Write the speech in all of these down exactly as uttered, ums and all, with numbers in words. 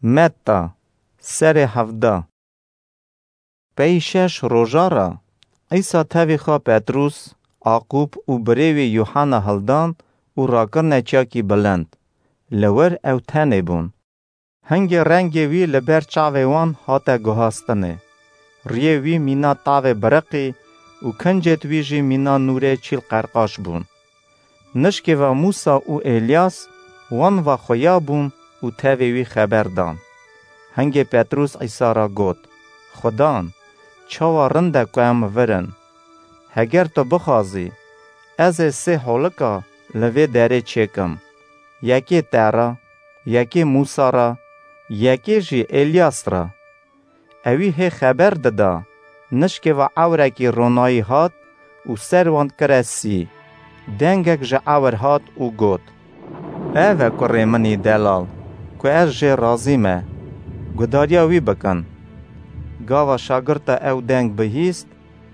Metta, serê hevda. Pey şeş roja re Îsa tevî xwe Petrûs, Aqûb û birê wî Yuhanna hildan û rakirine çiyakî bilind. Li wir ew tenê bûn. Hingê rengê wî li ber çavê wan hate guhastinê. Riyê wî mîna tavê biriqî û kincêt wî jî mîna nûrê çîl qerqaş bûn. Nişkê ve Mûsa û Êlyas wan ve xuya bûn û tevê wî xeber dan. Hingê Petrûs Îsa re got, Xudan, çawa rind e ku em vir in. Heger tu bixwazî, ez ê sê holika li vê derê çêkim. Yekê te re, yekê Mûsa re, yekê jî Êlyas re. Ewî hê xeber dida, nişkê ve ewrekî ronayî hat û ser wan kire sî. Dengek ji ewr hat û got, Ev e kurê min î delal, ku ez jê razî me. Gudariya wî bikin. Gava şagirta ew deng bihîst,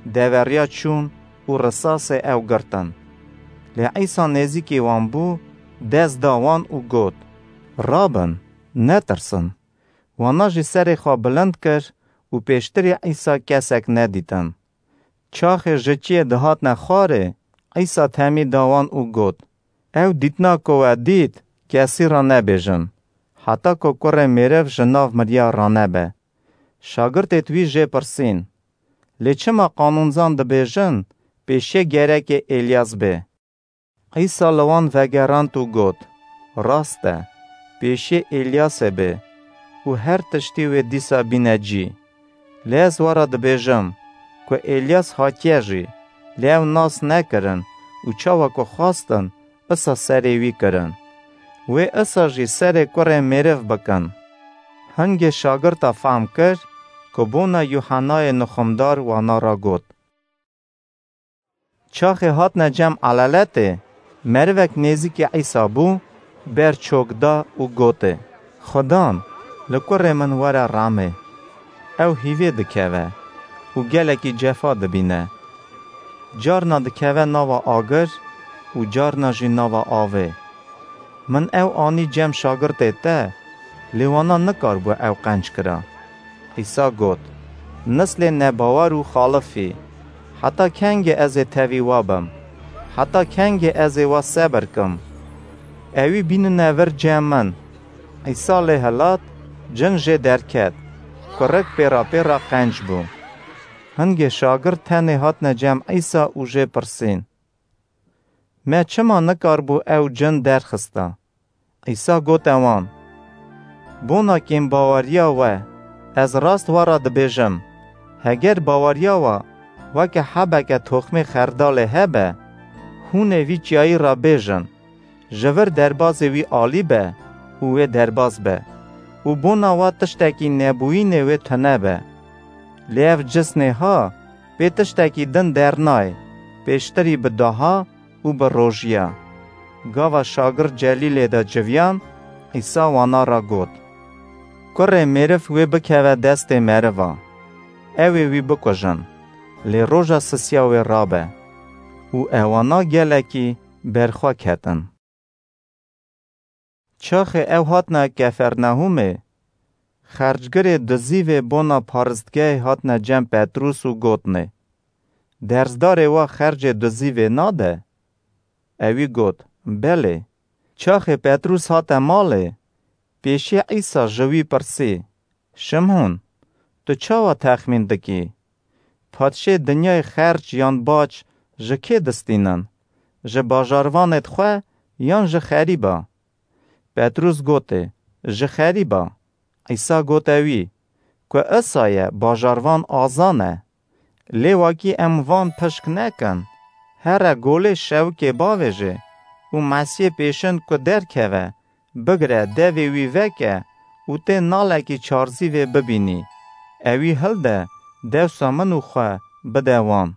deveriya çûn û risasê ew girtin. Lê Îsa nêzîkî wan bû, dest da wan û got, Rabin, netirsin. Wana jî serê xwe bilind kir û pêştirî Îsa kesek nedîtin. Çaxê ji çiyê dihatine xwarê, Îsa temî da wan û got, Ew dîtina ku we dît, kesî re nebêjin, heta ku Kurê Mêriv ji nav miriya ranebe. Şagirtêt wî jê pirsîn, Lê çima qanûnzan dibêjin, pêşiyê gereke Êlyas bê? Îsa li wan vegerand û got, Rast e, pêşiyê Êlyasê bê û her tiştî wê dîsa bîne cî. Lê ez we re dibêjim ku Êlyas hatiye jî, lê ew nas nekirin û çawa ku xwestin, isa serê wî kirin. Wê isa jî serê Kurê Mêriv bikin. Hingê şagirta fehm kir ku bona Yuhennayê nixumdar wana re got. Çaxê hatine cem elaletê, merivek nêzîkî Îsa bû, ber çok da û gotê, Xudan, li kurê min were remê. Ew hîvê dikeve û gelekî cefa dibîne. Carna dikeve nava agir û carna jî nava avê. Min ew anî cem şagirtê te, lê wana nikaribû ew qenc kira. Îsa got, Nislê nebawer û xalifî, heta kengê ez ê tevî we bim? Heta kengê ez ê we sebir kim? Ewî bînine vir cem min. Îsa lê hilat, cin jê derket, kurik pêra pêra qenc bû. Hingê şagirt tenê hatine cem Îsa û jê pirsîn, Me çima nikaribû ew cin derxista? Îsa gote wan, Bona kêmbaweriya we, ez rast we re dibêjim, heger baweriya we weke hebeke toxmê xerdalê hebe, hûn ê vî çiyayî re bêjin, Ji vir derbazê wî alî be û wê derbaz be û bona we tiştekî nebûyînê wê tune be. Lê ev cisnê ha pê tiştekî din dernayê, pêştirî bi daha û bi rojiya. Gava şagirt Celîlê de civiyan, Îsa wana re got, Kurê mêriv wê bikeve destê meriva, ew ê wî bikujin, lê roja sisiya wê rabe. Û ewana gelekî berxwe ketin. Çaxê ew hatine Kefernehûmê, xercgirê dizîvê bona paristgehê hatine cem Petrûs û gotnê, Dersdarê we xercê dizîvê nade? Ewî got, Belê. Çaxê Petrûs hate malê, pêşiyê Îsa ji wî pirsî, Şimhûn, tu çawa texmîn dikî? Padşê dinyayê xerc yan bac ji kê distînin? Ji bajarvanêd xwe yan ji xerîba? Petrûs gotê, Ji xerîba. Îsa gote wî, Ku isa ye, bajarvan aza ne. Lê wakî em van pişk nekin, here golê şewikê bavêje û Mesîhê pêşin ku derkeve, bigire, devê wî veke û tê nalekî çarzîvê bibînî, ewî hilde, dewsa min û xwe bide wan.